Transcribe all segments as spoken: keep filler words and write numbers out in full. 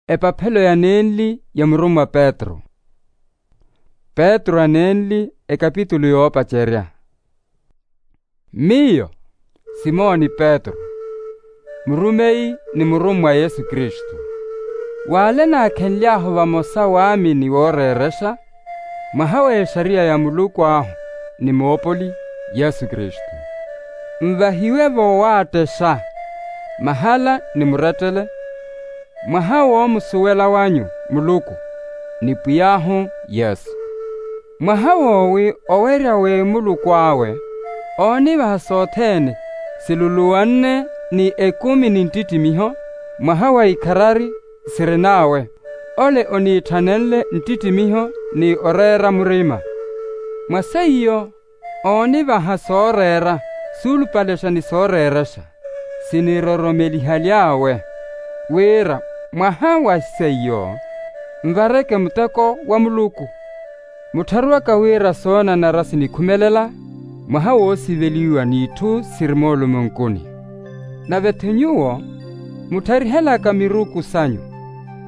Epaphelo ya nenli ya murummwa petru. Petru a nenli, ekapitulu yoopacerya. Miyo simoni petru, murumeyi ni murummwa a yesu kristu, w'ale naakhenly'ahu vamosa waamini wooreerexa mwaha w'exariya ya muluku ahu ni moopoli yesu kristu, nvahiwe voowaattexxa mahala ni murettele mwaha woomusuwela wanyu muluku ni pwiy'ahu yesu, mwaha woowi owerya w'emuluku awe oonivaha sothene siluluwanne ni ekumi ni nttittimiho mwaha wa ikharari sirin'awe, ole oniitthanenle nttittimiho ni oreera murima. Mwa seiyo oonivaha sooreera suulupalexa ni sooreerexa siniroromelihaly'awe, wira mwaha wa seiyo nvareke muteko wa muluku. Muttharuwaka wira soonanara sinikhumelela mwaha woosiveliwa n'itthu siri moolumonkuni. Nave-tho nyuwo muttharihelaka miruku sanyu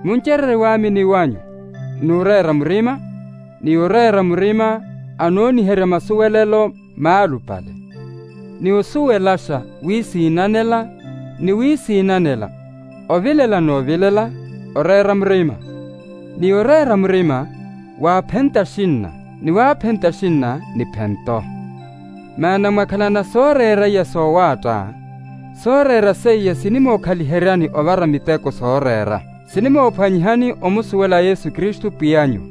muncererye waamini wanyu n'ureera murima, ni oreera murima anooniherya masuwelelo maalupale, ni osuwelaxa wiisiinanela ni wiisiinanela, ovilela n'ovilela oreera murima, ni oreera murima waaphenta axinna, ni waaphenta axinna niphento. Maana mwakhalana sooreera iya soowaatta, sooreera seiya sinimookhaliheryani ovara miteko sooreera sinimoophwanyihani omusuwela yesu kristu pwiy'anyu.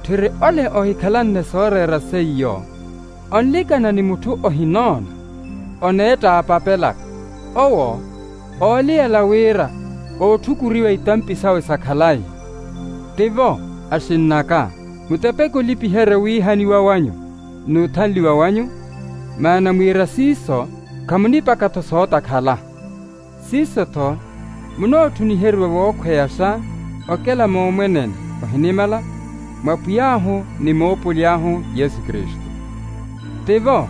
Tthiri ole ohikhalanne sooreera seiyo onlikana ni mutthu ohinoona, oneettaapapelaka, owo ooliyela wira ootthukurwiwa itampi sawe sa khalayi. Tivo, axinn'aka, mutepeke olipiherya owiihaniwa wanyu n'uthanliwa wanyu, maana mwiira siiso khamunipaka-tho sootakhala. Siiso-tho munootthunniheriwa wookhweyaxa okela moomwenene ohinimala mwa pwiy'ahu ni moopoly'ahu yesu kristu. Tivo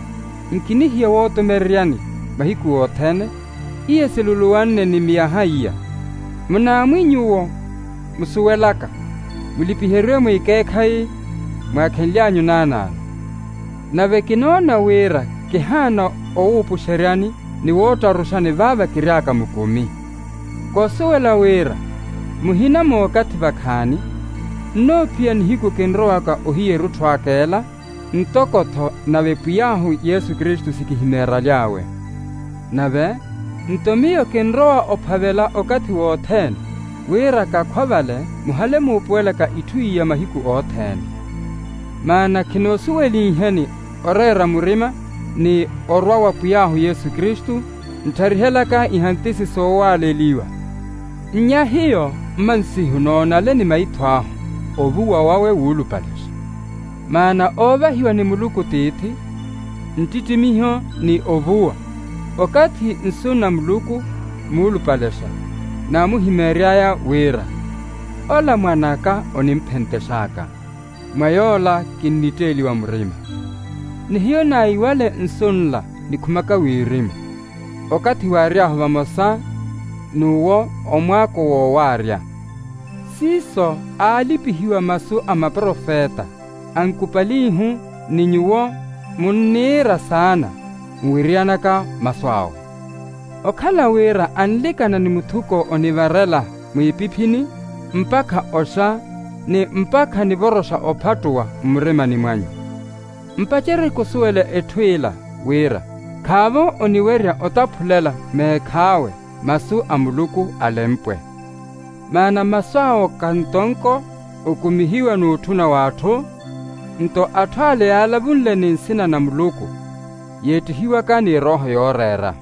nkinihiya wootumereryani mahiku othene, iya siluluwanne ni miyaha iya. Munaamwi nyuwo musuwelaka mulipiheriwe mwiikeekhayi mwaakhenly'anyu naanaano. Nave kinoona wira kihaana owuupuxeryani ni woottaruxani vaava kiry'aka mukumi. Koosuwela wira muhina mookathi vakhaani nnoophiya nihiku kinrowaka ohiya erutthu aka ela, ntoko-tho nave pwiy'ahu yesu kristu sikihimeeraly'awe. Nave nto miyo kinrowa ophavela okathi wothene wira kakhwa vale muhale muupuwelaka itthu iya mahiku othene. Maana khinoosuwelinheni oreera murima ni orwa wa pwiy'ahu yesu kristu, nttarihelaka ihantisi soowaaleliwa. Nnya hiyo mmansihu noonale ni maitho ahu ovuwa wawe wuulupalexa. Maana oovahiwa ni muluku tiithi nttittimiho ni ovuwa, okathi nsunna muluku muulupalexa naamuhimeery'aya wira ola mwan'aka onimphentex'aka, mwa yoola kinnitteeliwa murima. Ni hiyo naiwale nsu nla nikhumaka wirimu okathi waary'ahu vamosa n'uwo omwaako woowaarya. Siiso aalipihiwa masu a maprofeta ankupalihu ni nyuwo munniira saana nwiriyanaka masu awe. Okhala wira anlikana ni muthuko onivarela mwiipiphini mpakha oxa ni mpakha nivoroxa ophattuwa mmurimani mwanyu. Mpacerye khusuwela etthu ila wira khaavo oniwerya otaphulela meekh'awe masu a muluku alempwe. Maana masu awo kantonko okumihiwa n'utthuna w'atthu. Nto atthu ale yaalavunle ni nsina na muluku yeettihiwaka ni erooho yooreera.